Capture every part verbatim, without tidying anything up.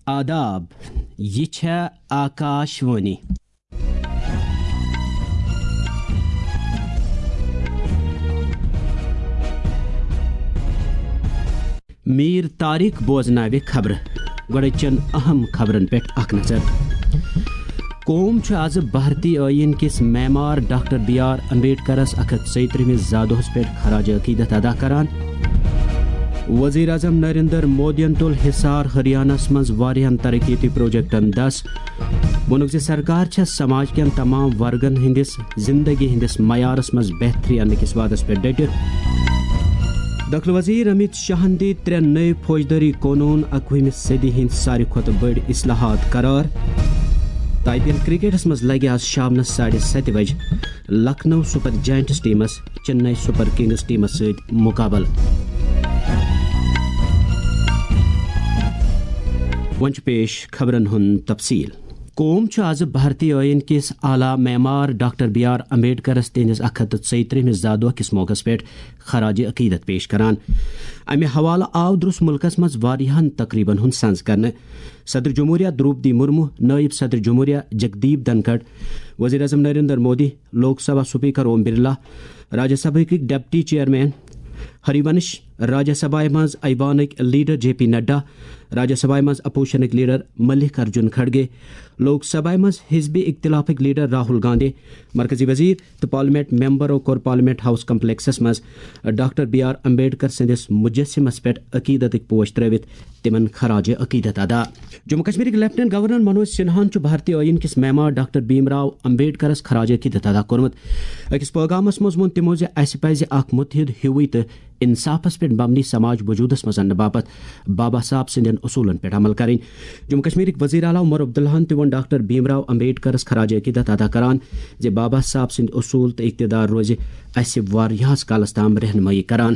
آداب، یہِ چھےٚ آکاش وانی۔ میٖر طارق بوزناوِ خبرٕ۔ گۄڈٕ چٮ۪ن اہم خبرن پٮ۪ٹھ اکھ نظر۔ قوم چھُ آز بھارتی ٲییٖن کِس معمار ڈاکٹر بی آر امبیڈکرس اکھ ہتھ ژۄیہِ ترٛہمِس زادۄہس پٮ۪ٹھ خراج عقیدت ادا کران۔ وزیر اعظم نریندر مودیَن تُل حصار ہریانس منٛز واریاہن ترقیتی پروجیکٹن دس۔ ووٚنُکھ زِ سرکار چھےٚ سماج کٮ۪ن تمام ورگن ہٕنٛدِس زندگی ہٕنٛدِس معیارس منٛز بہتری اننہٕ کِس وعدس پٮ۪ٹھ ڈٔٹِتھ۔ دٲخلہٕ وزیر امیت شاہن دِتۍ ترٛےٚ نٔوۍ فوجدٲری قونوٗن اکوُہمہِ صدی ہٕنٛدۍ ساروی کھۄتہٕ بٔڑۍ اصلاحات قرار۔ تہٕ آئی پی ایل کرکٹس منٛز لگہِ آز شامنس ساڑِ ستہِ بجہِ لکھنؤ سپر جائنٹس ٹیمس چنئی سپر کنگز ٹیمس سۭتۍ مقابلہٕ۔ وۄنۍ چھُ پیش خبرن ہُنٛد تفصیل۔ قوم چھُ آز بھارتی ٲییٖن کِس اعلیٰ معمار ڈاکٹر بی آر امبیڈکرس تِہنٛدِس اکھ ہتھ تہٕ ژۄیہِ ترٛہمِس زادۄہ کِس موقعس پٮ۪ٹھ خراج عقیدت پیش کران۔ امہِ حوالہٕ آو درس ملکس منٛز واریاہن تقریبن ہُنٛد سنز کرنہٕ۔ صدر جمہوریہ دروپدی مرمو، نائب صدر جمہوریہ جگدیپ دھنکھڑ، وزیر اعظم نریندر مودی، لوک سبھا سپیکر اوم برلا، راجیہ سبھا کِک ڈپٹی چیئرمین ہریونش، راجیہ سبھا منٛز ایوانٕکۍ leader J P Nadda, Rajya Sabha منٛز اپوزیشنٕکۍ لیڈر ملک ارجن کھڑگے، لوک سبھا منٛز حزب اختلافٕکۍ لیڈر راہل گاندھی، مرکزی وزیر تہٕ پارلیمنٹ ممبرو کوٚر پارلیمنٹ ہاؤس کمپلیکسس منٛز ڈاکٹر بی آر امبیڈکر سٕنٛدِس مجسمس پٮ۪ٹھ عقیدتٕکۍ پوش ترٲوِتھ تِمن خراج عقیدت ادا۔ جموں کشمیرٕکۍ لیفٹیننٹ گورنر منوج سنہاہن چھُ بھارتی ٲییٖن کِس معمار ڈاکٹر بھیم راو امبیڈکرس خراج عقیدت ادا کوٚرمُت۔ أکِس پیغامس منٛز ووٚن تِمو زِ اسہِ پزِ اکھ متحد ہیوٗوٕے تہٕ انصافس پٮ۪ٹھ مبنی سماج وجودس منٛز اننہٕ باپتھ بابا صاحب سٕنٛدٮ۪ن اصوٗلن پٮ۪ٹھ عمل کرٕنۍ۔ جموں کشمیرٕکۍ وزیر اعلیٰ عمر عبداللہن تہِ ووٚن ڈاکٹر بھیم راو امبیڈکرس خراج عقیدت ادا کران زِ بابا صاحب سٕنٛدۍ اصوٗل تہٕ اقتدار روزِ اسہِ واریاہس کالس تام رہنمٲیی کران۔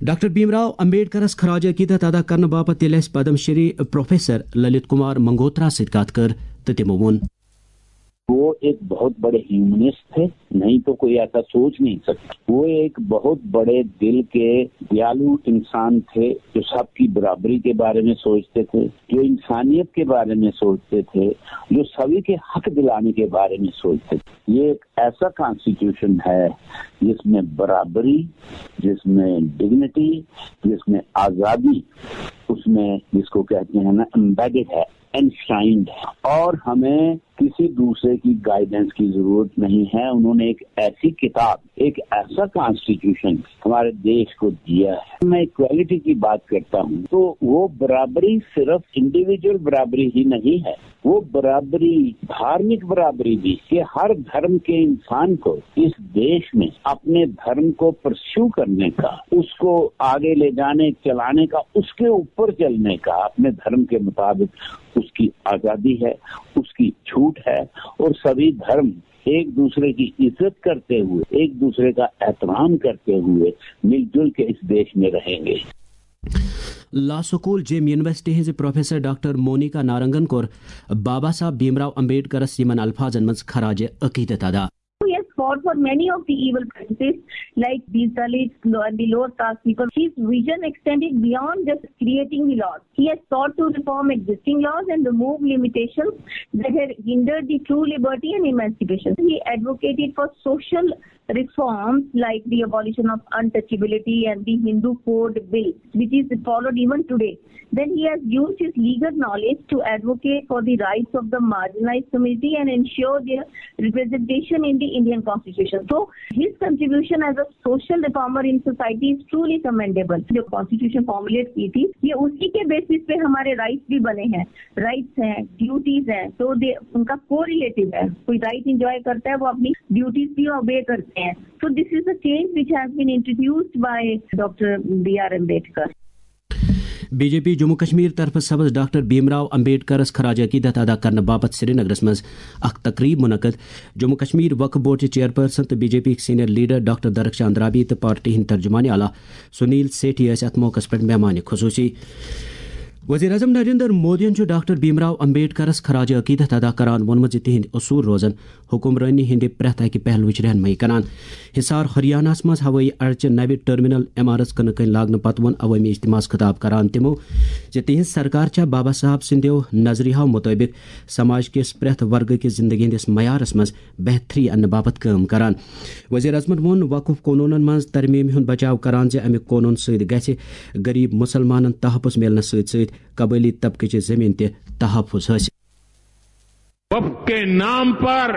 ڈاکٹر بھیم راو امبیڈکرس خراج عقیدت ادا کرنہٕ باپتھ ییٚلہِ اسہِ پدم شری پروفیسر للت کمار منگوترا سۭتۍ کتھ کٔر تہٕ تِمو ووٚن۔ وہ ایک بہت بڑے ہیومنسٹ تھے، نہیں تو کوئی ایسا سوچ نہیں سکتا۔ وہ ایک بہت بڑے دل کے دیالو انسان تھے، جو سب کی برابری کے بارے میں سوچتے تھے، جو انسانیت کے بارے میں سوچتے تھے، جو سبھی کے حق دلانے کے بارے میں سوچتے تھے۔ یہ ایک ایسا کانسٹیٹیوشن ہے جس میں برابری، جس میں ڈگنیٹی، جس میں آزادی، اس میں جس کو کہتے ہیں نا، امبیڈڈ ہے، انشرائنڈ ہے، اور ہمیں کسی دوسرے کی گائیڈنس کی ضرورت نہیں ہے۔ انہوں نے ایک ایسی کتاب، ایک ایسا کانسٹیٹیوشن ہمارے دیش کو دیا ہے۔ میں اکوالٹی کی بات کرتا ہوں تو وہ برابری صرف انڈیویجول برابری ہی نہیں ہے، وہ برابری، دھارمک برابری بھی، کہ ہر دھرم کے انسان کو اس دیش میں اپنے دھرم کو پرسیو کرنے کا، اس کو آگے لے جانے، چلانے کا، اس کے اوپر چلنے کا، اپنے دھرم کے مطابق اس کی آزادی ہے، اس کی چھوٹ ہے، اور سभी دھرم ایک दूसरे की इज्जत करते हुए, एक दूसरे का एहतराम करते हुए मिलजुल के इस देश में रहेंगे। لا سکول جیم یونیورسٹی ہٕنٛزِ پروفیسر ڈاکٹر مونیکا نارنگن کوٚر بابا صاحب بھیم راو امبیڈکرس یِمن الفاظن منٛز خراج عقیدت ادا۔ He has fought for many of the evil practices like these Dalits and the lower caste people. His vision extended beyond just creating the laws. He has sought to reform existing laws and remove limitations that had hindered the true liberty and emancipation. He advocated for social reforms like the abolition of untouchability and the Hindu Code Bill, which is followed even today. Then he has used his legal knowledge to advocate for the rights of the marginalized community and ensure their representation in the Indian Constitution. So, his contribution as a social reformer in society is truly commendable. जो constitution formulate की थी, ये उसी के basis पे हमारे rights भी बने हैं। राइट्स हैं, ड्यूटीज हैं, तो दे उनका कोरिलेटिव है। कोई राइट एंजॉय करता है, वो अपनी ड्यूटीज भी ओबे करते हैं। So this is the change which has been introduced by Doctor B R Ambedkar. B J P Jammu Kashmir طرفہٕ سبز ڈاکٹر بھیم راو امبیڈکرس خراج عقیدت ادا کرنہٕ باپتھ سرینگرس منٛز اکھ تقریب منعقد۔ جموں کشمیر وقف بورڈ چہِ چیئرپرسن تہٕ بی جے پی ہٕکۍ سینئر لیڈر ڈاکٹر درخشان درابی تہٕ پارٹی ہٕنٛدۍ ترجمان اعلیٰ سنیل سیٹھی ٲسۍ اتھ موقعس پٮ۪ٹھ مہمان خصوصی۔ وزیر اعظم نریندر مودیَن چھُ ڈاکٹر بھیم راو امبیڈکرَس خراج عقیدت ادا کران ووٚنمُت زِ تِہنٛدۍ اصوٗل روزن حکمرٲنی ہٕنٛدِ پرٛٮ۪تھ اَکہِ پہلوٕچ رہنمٲیی کران۔ حصار ہریاناہَس منٛز ہوٲیی اڈچہِ نوِ ٹرمینل عمارژ کٕنہٕ کٔنۍ لاگنہٕ پتہٕ ووٚن عوٲمی اجتماعس خطاب کران تِمو زِ تِہنٛز سرکار چھےٚ بابا صاحب سٕنٛدیو نظریاہو مُطٲبِق سماج کِس پرٛٮ۪تھ ورگہٕ کِس زندگی ہٕنٛدِس معیارس منٛز بہتری اننہٕ باپتھ کٲم کران۔ وزیر اعظمن ووٚن وقف قونوٗنن منٛز ترمیٖم ہُنٛد بچاو کران زِ اَمہِ قونوٗن سۭتۍ گژھِ غریب مسلمانن تحفظ میلنس سۭتۍ سۭتۍ قبٲیلی طبقہٕ چہِ زمین تہِ تحفظ حٲصِل۔ وقف کے نام پر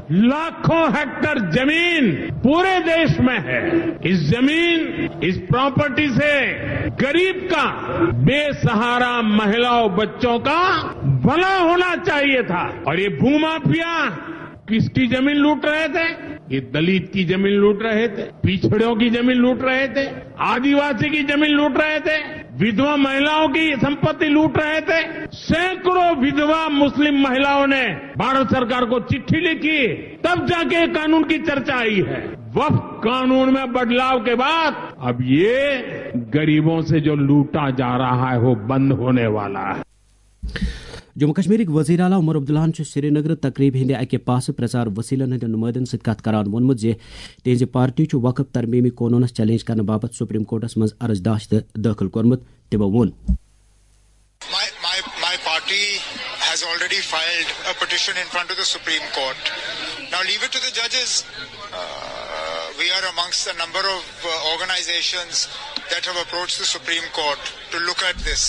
لاکھوں ہیکٹر زمین پورے دیش میں ہے۔ اس زمین، اس پراپرٹی سے غریب کا، بے سہارا مہیلاؤں بچوں کا بھلا ہونا چاہیے تھا۔ اور یہ بھومافیا کس کی زمین لوٹ رہے تھے؟ یہ دلت کی زمین لوٹ رہے تھے، پچھڑوں کی زمین لوٹ رہے تھے، आदिवासी की जमीन लूट रहे थे, विधवा महिलाओं की संपत्ति लूट रहे थे। सैकड़ों विधवा मुस्लिम महिलाओं ने भारत सरकार को चिट्ठी लिखी, तब जाके कानून की चर्चा आई है। वक्फ कानून में बदलाव के बाद अब ये गरीबों से जो लूटा जा रहा है, वो बंद होने वाला है। جموں کشمیرٕکۍ وزیر اعلیٰ عمر عبداللہَن چھُ سرینگر تقریب ہٕنٛدِ اَکہِ پاسہٕ پرچار وسیلن ہٕنٛدٮ۪ن نمائندن سۭتۍ کتھ کران ووٚنمُت زِ تِہنٛزِ پارٹی چھُ وقف ترمیمی قونوٗنس چیلنج کرنہٕ باپتھ سپریم کورٹس منٛز عرض داشت دٲخل کوٚرمُت۔ تِمو ووٚن۔ My, my, my party has already filed a petition in front of the Supreme Court. Now leave it to the judges. Uh, we are amongst a number of uh, organizations that have approached the Supreme Court to look at this.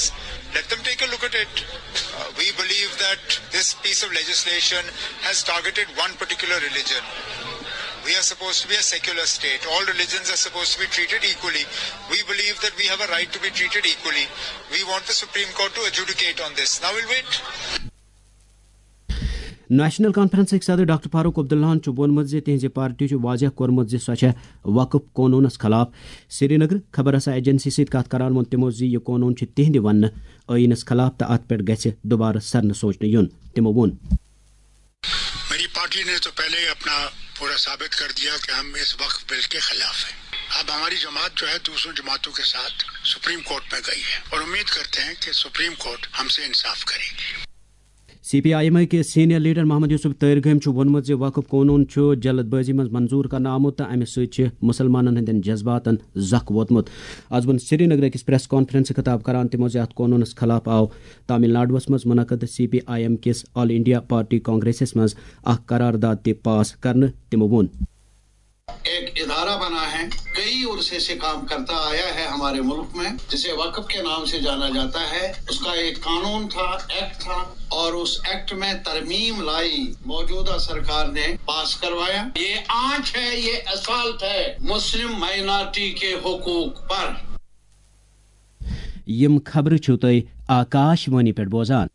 Let them take a look at it. Uh, we believe that this piece of legislation has targeted one particular religion. We are supposed to be a secular state. All religions are supposed to be treated equally. We believe that we have a right to be treated equally. We want the Supreme Court to adjudicate on this. Now we'll wait. National کانفرنسٕکۍ صدر doctor Farooq عبداللہَن چھُ ووٚنمُت زِ تِہنٛزِ party چھُ واضح کوٚرمُت زِ سۄ چھےٚ وقف قونوٗنس خلاف۔ سرینگر خبر رساں ایجنسی سۭتۍ کتھ کران ووٚن تِمو زِ یہِ قونوٗن چھُ تِہنٛدِ وننہٕ ٲییٖنس خلاف تہٕ اتھ پٮ۪ٹھ گژھِ دوبارٕ سرنہٕ سوچنہٕ یُن۔ تِمو ووٚن۔ میری پارٹی نے تو پہلے ہی اپنا پورا ثابت کر دیا کہ ہم اس وقف بل کے خلاف ہیں۔ اب ہماری جماعت جو ہے دوسروں جماعتوں کے ساتھ سپریم کورٹ میں گئی ہے اور امید کرتے ہیں کہ سپریم کورٹ ہم سے انصاف کرے گی۔ سی پی آئی ایم کِس سینئر لیڈر محمد یوسف طٲرگٲمۍ چھُ ووٚنمُت زِ وقف قونوٗن چھُ جلد بٲزی منٛز منظوٗر کرنہٕ آمُت تہٕ اَمہِ سۭتۍ چھِ مُسلمانَن ہٕنٛدٮ۪ن جذباتَن زکھ ووتمُت۔ آز ووٚن سرینگرٕ أکِس پریس کانفرنسہِ خطاب کران تِمو زِ اَتھ قونوٗنَس خلاف آو تامل ناڈوَس منٛز منعقد سی پی آئی ایم کِس آل انڈیا پارٹی کانگریسَس منٛز اکھ قرارداد تہِ پاس کرنہٕ۔ تِمو ووٚن۔ ایک ادارہ بنا ہے، کئی عرصے سے کام کرتا آیا ہے ہمارے ملک میں، جسے وقف کے نام سے جانا جاتا ہے۔ اس کا ایک قانون تھا، ایکٹ تھا، اور اس ایکٹ میں ترمیم لائی، موجودہ سرکار نے پاس کروایا۔ یہ آنچ ہے، یہ اسالٹ ہے مسلم مائنارٹی کے حقوق پر۔ یِم خبرٕ چھِو تُہۍ آکاش وانی پٮ۪ٹھ بوزان۔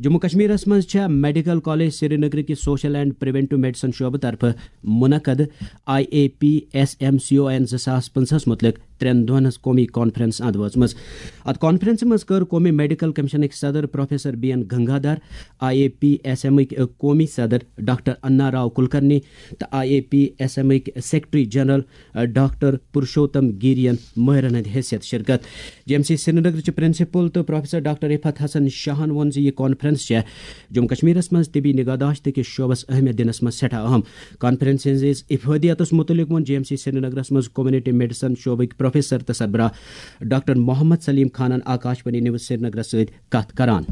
جموں کشمیرس منٛز چھےٚ میڈیکل کالج سرینگر کِس سوشل اینڈ پریونٹو میڈیسن شعبہٕ طرفہٕ منعقد I A P S M C O N زٕ ساس پٕنٛژٕہس مُتعلق ترٛٮ۪ن دۄہن ہٕنٛز قومی کانفرنس اند وٲژمٕژ۔ اتھ کانفرنسہِ منٛز کٔر قومی میڈیکل کمیشنٕکۍ صدر professor B N Gangadhar, I A P S ایمٕکۍ قومی صدر ڈاکٹر انا راو کلکرنی تہٕ آئی اے پی ایس ایمٕکۍ سیکرٹری جنرل ڈاکٹر پرشوتم گیرین مٲہرن ہٕنٛدِ حیثیت شرکت۔ جی ایم سی سرینگرٕچ پرنسپل تہٕ پروفیسر ڈاکٹر رفعت حسن شاہن ووٚن زِ یہِ کانفرنس چھےٚ جموں کشمیرس منٛز طبی نگہداشت کِس شعبس اہمیت دِنس منٛز سٮ۪ٹھاہ اہم۔ کانفرنس ہٕنٛدِس افادیتس مُتعلق ووٚن جی ایم سی سرینگرس منٛز کمیونٹی میڈیسن شعبٕکۍ پروفیسر تہٕ سربراہ ڈاکٹر محمد سلیم خانن آکاش وانی نیوز سرینگرس سۭتۍ کتھ کران۔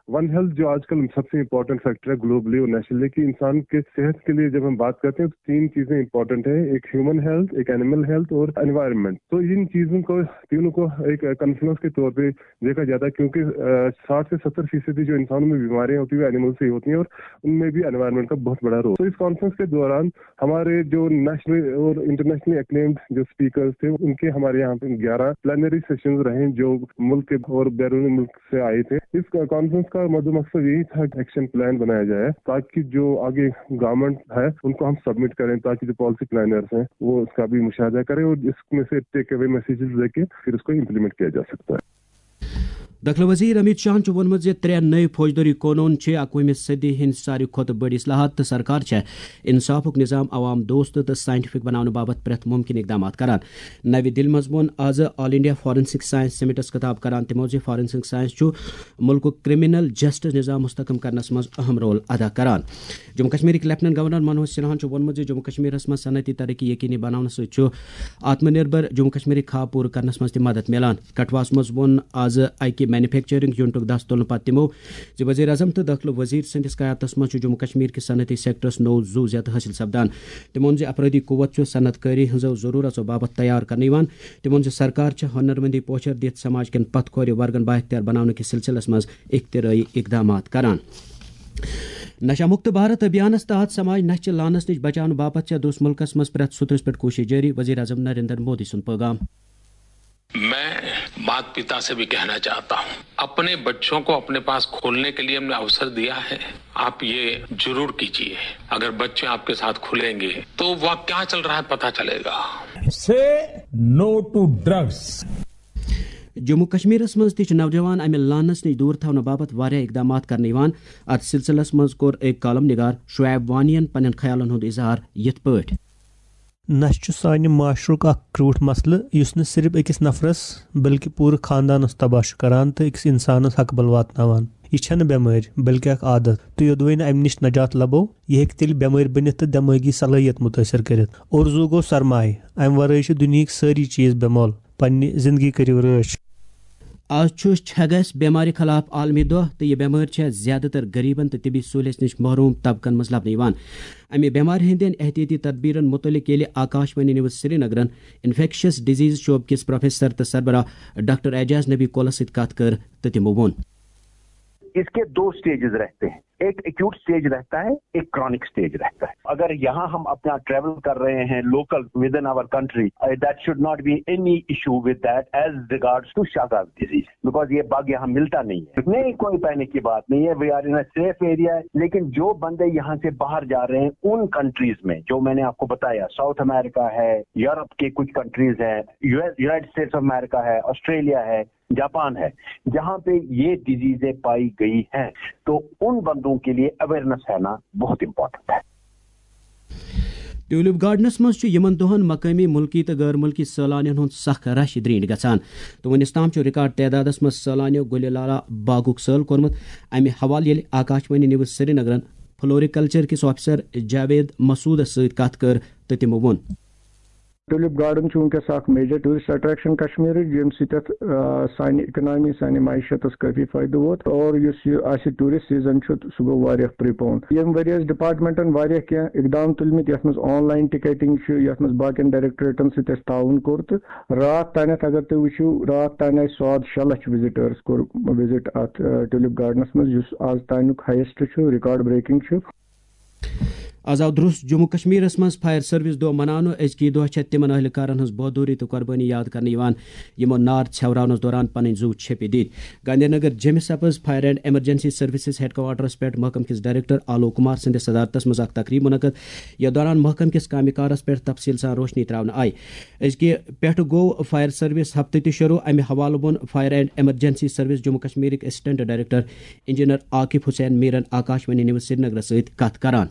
ون ہیلتھ جو آج کل سب سے امپورٹنٹ فیکٹر ہے گلوبلی اور نیشنلی، کہ انسان کے صحت کے لیے جب ہم بات کرتے ہیں تو تین چیزیں امپورٹنٹ ہیں، ایک ہیومن ہیلتھ، ایک اینیمل ہیلتھ اور انوائرمنٹ۔ تو ان چیزوں کو، تینوں کو ایک کانفلوئنس کے طور پہ دیکھا جاتا ہے، کیونکہ ساٹھ سے ستر فیصدی جو انسانوں میں بیماریاں ہوتی ہیں وہ اینیمل سے ہی ہوتی ہیں اور ان میں بھی انوائرمنٹ کا بہت بڑا رول۔ تو اس کانفرنس کے دوران ہمارے جو نیشنل اور انٹرنیشنلی اکلیمڈ جو اسپیکرز تھے، ان کے ہمارے یہاں پہ گیارہ پلینری سیشنز رہے جو ملک کے اور بیرون ملک سے آئے تھے۔ اس کانفرنس کا مد مقصد یہی تھا کہ ایکشن پلان بنایا جائے تاکہ جو آگے گورنمنٹ ہے ان کو ہم سبمٹ کریں تاکہ جو پالیسی پلانرز ہیں وہ اس کا بھی مشاہدہ کریں اور اس میں سے ٹیک اوے میسجز لے کے پھر اس کو امپلیمنٹ کیا جا سکتا ہے۔ دٲخلہٕ وزیر امیت شاہن چھُ ووٚنمُت زِ ترٛےٚ نٔوۍ فوجدٲری قونوٗن چھِ اَکوُہمہِ صدی ہٕنٛدۍ ساروی کھۄتہٕ بٔڑۍ اصلاحات تہٕ سرکار چھےٚ انصافُک نظام عوام دوست تہٕ سائنٹیفک بناونہٕ باپتھ پرٛٮ۪تھ مُمکِن اقدامات کران۔ نَوِ دِلہِ منٛز ووٚن آز آل انڈیا فارنسک سائنس سمٹس خطاب کران تِمو زِ فارنسک سائنس چھُ مُلکُک کرمنل جسٹس نظام مستحکم کرنس منٛز اہم رول ادا کران۔ جموں کشمیرٕکۍ لیفٹیننٹ گورنر منوج سنہاہن چھُ ووٚنمُت زِ جموں کشمیرس منٛز صنعتی ترقی یقینی بناونہٕ سۭتۍ چھُ آتم نربھر جموں کشمیرٕکۍ خواب پوٗرٕ کرنس منٛز تہِ مدد میلان۔ کٹھوہس منٛز ووٚن آز اکہِ مینوفیکچرنگ یونٹُک دس تُلنہٕ پتہٕ تِمو زِ وزیر اعظم تہٕ دٲخلہٕ وزیر سٕنٛدِس قیادتس منٛز چھُ جموں کشمیر کِس صنعتی سیکٹرس نوٚو زُو زیادٕ حٲصِل سپدان۔ تِمو ووٚن زِ افرٲدی قوت چھُ صنعت کٲری ہٕنٛزو ضروٗرژو باپتھ تیار کرنہٕ یِوان۔ تِمو ووٚن زِ سرکار چھےٚ ہُنرمندی پوچھر دِتھ سماج کٮ۪ن پتھ کھورِ ورگن بااختیار بناونہٕ کِس سلسلس منٛز اختراعی اقدامات کران۔ نشہ مکت بھارت ابھیانس تحت سماج نشہ چہِ لعنس نِش بچاونہٕ باپتھ چھےٚ درس ملکس منٛز پرٛٮ۪تھ سطحس پٮ۪ٹھ کوٗشش جٲری، وزیر اعظم نریندر مودی سُنٛد پیغام۔ मैं माता पिता से भी कहना चाहता हूँ, अपने बच्चों को अपने पास खोलने के लिए हमने अवसर दिया है, आप ये जरूर कीजिए। अगर बच्चे आपके साथ खुलेंगे तो वहाँ क्या चल रहा है, पता चलेगा। Say no to drugs. Jammu کشمیرس منٛز تہِ چھِ نوجوان امہِ لعنس نِش دوٗر تھاونہٕ باپتھ واریاہ اقدامات کرنہٕ یِوان۔ اتھ سلسلس منٛز کوٚر أکۍ کالم نگار شعیب وانین پننٮ۪ن خیالن ہُنٛد اظہار یِتھ پٲٹھۍ۔ نشہٕ چھُ سانہِ معاشرُک اکھ کرٛوٗٹھ مسلہٕ، یُس نہٕ صرف أکِس نفرس بلکہِ پوٗرٕ خاندانس تباہ چھُ کران تہٕ أکِس انسانس ہکبل واتناوان۔ یہِ چھنہٕ بٮ۪مٲرۍ، بلکہِ اکھ عادت، تہٕ یوٚدوَے نہٕ امہِ نِش نجات لبو، یہِ ہیٚکہِ تیٚلہِ بٮ۪مٲرۍ بٔنِتھ تہٕ دٮ۪مٲغی صلٲحیت مُتٲثر کٔرِتھ۔ اورزوٗ گوٚو سرمایہِ، امہِ ورٲے چھِ دُنیہٕکۍ سٲری چیز بے مۄل۔ پننہِ زندگی کٔرِو رٲچھ۔ آز چھُ چھگس بٮ۪مارِ خلاف عالمی دۄہ تہٕ یہِ بٮ۪مٲرۍ چھےٚ زیادٕ تر غریبن تہٕ طبی سہولیژ نِش محروم طبقن منٛز لبنہٕ یِوان۔ امہِ بٮ۪مارِ ہٕنٛدٮ۪ن احتیاطی تدبیرن مُتعلق ییٚلہِ آکاش وانی نیوز سرینگرن انفیکشس ڈیزیز شعبہٕ کِس پروفیسر تہٕ سربراہ ڈاکٹر اعجاز نبی کولس سۭتۍ کتھ کٔر تہٕ تِمو ووٚن۔ इसके दो स्टेजेस रहते हैं, एक एक्यूट स्टेज रहता है, एक क्रॉनिक स्टेज रहता है। अगर यहाँ हम अपना ट्रेवल कर रहे हैं local with in our country, that should not be any issue with that as regards to Chagas disease, because ये बग यहाँ मिलता नहीं है। नहीं, कोई पैनिक की बात नहीं है, we are in a safe area. लेकिन जो बंदे यहाँ से बाहर जा रहे हैं उन कंट्रीज में, जो मैंने आपको बताया, साउथ अमेरिका है, यूरोप के कुछ कंट्रीज हैं, US, United states of America है, ऑस्ट्रेलिया है, जापान है, जहां पे ये डिजीजें पाई गई हैं, तो उन बंदों के लिए अवेयरनेस रहना बहुत इंपॉर्टेंट है। ٹیولپ گارڈنس منٛز چھُ یِمن دۄہن مقٲمی، مُلکی تہٕ غٲر مُلکی سٲلانین ہُنٛد سخ رش درینٹھ گژھان تہٕ وُنِس تام چھُ ریکارڈ تعدادس منٛز سٲلانیو گُلہِ لارا باغُک سٲل کوٚرمُت۔ امہِ حوالہٕ ییٚلہِ آکاشوانی نیوز سرینگرن فلوریکلچر کِس آفیسر جاوید مسعودس سۭتۍ کتھ کٔر تہٕ تِمو ووٚن۔ ٹولپ گارڈن چھُ وٕنکیٚس اکھ میجر ٹوٗرسٹ اٹریکشن کشمیرٕچ، ییٚمہِ سۭتۍ اتھ، آ، سانہِ اکنامی، سانہِ معیشتس کٲفی فٲیدٕ ووت، اور یُس یہِ آسہِ ٹوٗرسٹ سیزن چھُ، سُہ گوٚو واریاہ پری پون۔ ییٚمہِ ؤرۍ یہِ ٲسۍ ڈپارٹمنٹن واریاہ کینٛہہ اقدام تُلمٕتۍ، یتھ منٛز آن لاین ٹکیٹنگ چھُ، یتھ منٛز باقین ڈائریکٹوریٹن سۭتۍ اَسہِ تعاوُن کوٚر، تہٕ راتھ تانٮ۪تھ اگر تُہۍ وٕچھِو، راتھ تانۍ آسہِ ساد شےٚ لچھ وزٹرس کوٚر وزٹ اتھ، آ، ٹولپ گارڈنس منٛز، یُس آز تانیُک ہایسٹ چھُ، ریکارڈ بریکنگ چھُ۔ آز آو درٛوس جموں کشمیرس منٛز فائر سروس دۄہ مناونہٕ۔ أزکی دۄہ چھےٚ تِمن اہلکارن ہٕنٛز بہادری تہٕ قربٲنی یاد کرنہٕ یِوان، یِمو نار ژھیوراونس دوران پنٕنۍ زُو چھیٚپہِ دِتۍ۔ گاندھی نگر جیمہِ سپز fire and emergency services headquarters پٮ۪ٹھ محکمہٕ کِس ڈائریکٹر آلوک کمار سٕنٛدِس صدارتس منٛز اکھ تقریب منعقد، یتھ دوران محکمہٕ کِس کامہِ کارس پٮ۪ٹھ تفصیل سان روشنی تراونہٕ آیہِ۔ أزکہِ پٮ۪ٹھٕ گوٚو فائر سروس ہفتہٕ تہِ شروع۔ امہِ حوالہٕ ووٚن fire and emergency service Jammu کشمیرٕکۍ assistant director engineer Aqib Hussain میرن آکاشوانی نیوز سرینگرس سۭتۍ کتھ کران۔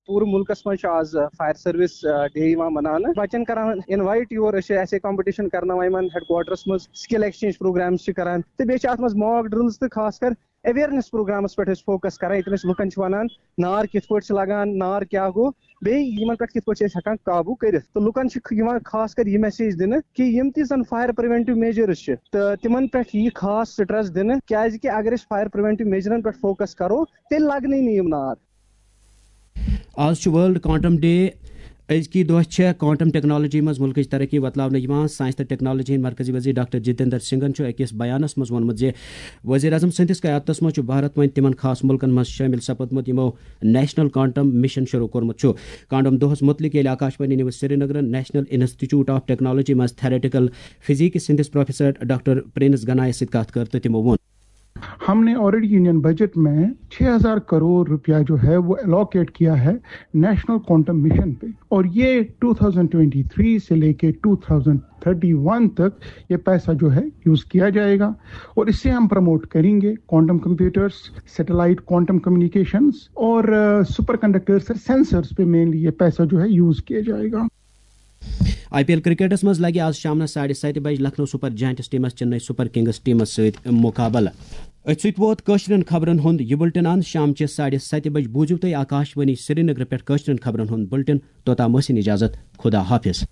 پوٗرٕ مُلکس منٛز چھُ آز فائر سروس ڈے یِوان مناونہٕ۔ بچن کران انوائٹ یور، أسۍ چھِ ایسے کمپٹیشن کرناوان یِمن ہیڈ کوارٹرس منٛز، سکل ایکسچینج پروگرامز چھِ کران، تہٕ بیٚیہِ چھِ اتھ منٛز ماک ڈرلز تہٕ خاص کر اویئرنیس پروگرامس پٮ۪ٹھ أسۍ فوکس کران، ییٚتٮ۪ن أسۍ لُکن چھِ ونان نار کِتھ پٲٹھۍ چھِ لگان، نار کیٛاہ گوٚو، بیٚیہِ یِمن پٮ۪ٹھ کِتھ پٲٹھۍ چھِ أسۍ ہٮ۪کان قابوٗ کٔرِتھ۔ تہٕ لُکن چھِ یِوان خاص کر یہِ میسیج دِنہٕ کہِ یِم تہِ زن فائر پریونٹیو میجرز چھِ، تہٕ تِمن پٮ۪ٹھ یی خاص سٹریس دِنہٕ، کیازِ کہِ اگر أسۍ فائر پریونٹیو میجرن پٮ۪ٹھ فوکس کرو، تیٚلہِ لگنٕے نہٕ یِم نار۔ آز چھُ ورلڈ کوانٹم ڈے۔ أزکی دۄہ چھےٚ کوانٹم ٹیکنالوجی منٛز مُلکٕچ ترقی وۄتلاونہٕ یِوان۔ ساینس تہٕ ٹیکنالوجی ہٕنٛدۍ مرکزی وزیر ڈاکٹر جتیندر سنگھن چھُ أکِس بیانس منٛز ووٚنمُت زِ وزیر اعظم سٕنٛدِس قیادتس منٛز چھُ بھارت وۄنۍ تِمن خاص مُلکن منٛز شٲمِل سپدمُت، یِمو نیشنل کوانٹم مشن شروع کوٚرمُت چھُ۔ کوانٹم دۄہس مُتعلق ییٚلہِ آکاشوانی نیوز سرینگرن نیشنل انسٹیٹیوٹ آف ٹیکنالوجی منٛز تھیوریٹیکل فزکس ہٕنٛدِس پروفیسر ڈاکٹر پرنس گنایس سۭتۍ کتھ کٔر تہٕ تِمو ووٚن۔ हमने ऑलरेडी यूनियन बजट में छह हज़ार करोड़ रुपया जो है वो अलोकेट किया है नेशनल क्वांटम मिशन पे, और ये ट्वेंटी ट्वेंटी थ्री से लेके ट्वेंटी थर्टी वन तक ये पैसा जो है यूज किया जाएगा। और इससे हम प्रमोट करेंगे quantum computers, satellite quantum communications और सुपर कंडक्टर्स, सेंसर्स पे मेनली ये पैसा जो है यूज किया जाएगा। آئی پی ایل کرکٹس منٛز لگہِ آز شامنس ساڑِ ستہِ بجہِ لکھنؤ سپر جائنٹس ٹیمس چنئی سپر کنگس ٹیمس سۭتۍ مقابلہٕ۔ أتھۍ سۭتۍ ووت کٲشرٮ۪ن خبرن ہُنٛد یہِ بُلٹن اند۔ شامچہِ ساڑِ ستہِ بجہِ بوٗزِو تُہۍ آکاش وانی سرینگر پٮ۪ٹھ کٲشرٮ۪ن خبرن ہُنٛد بُلٹن۔ توٚتام ٲسِن اجازت، خدا حافظ۔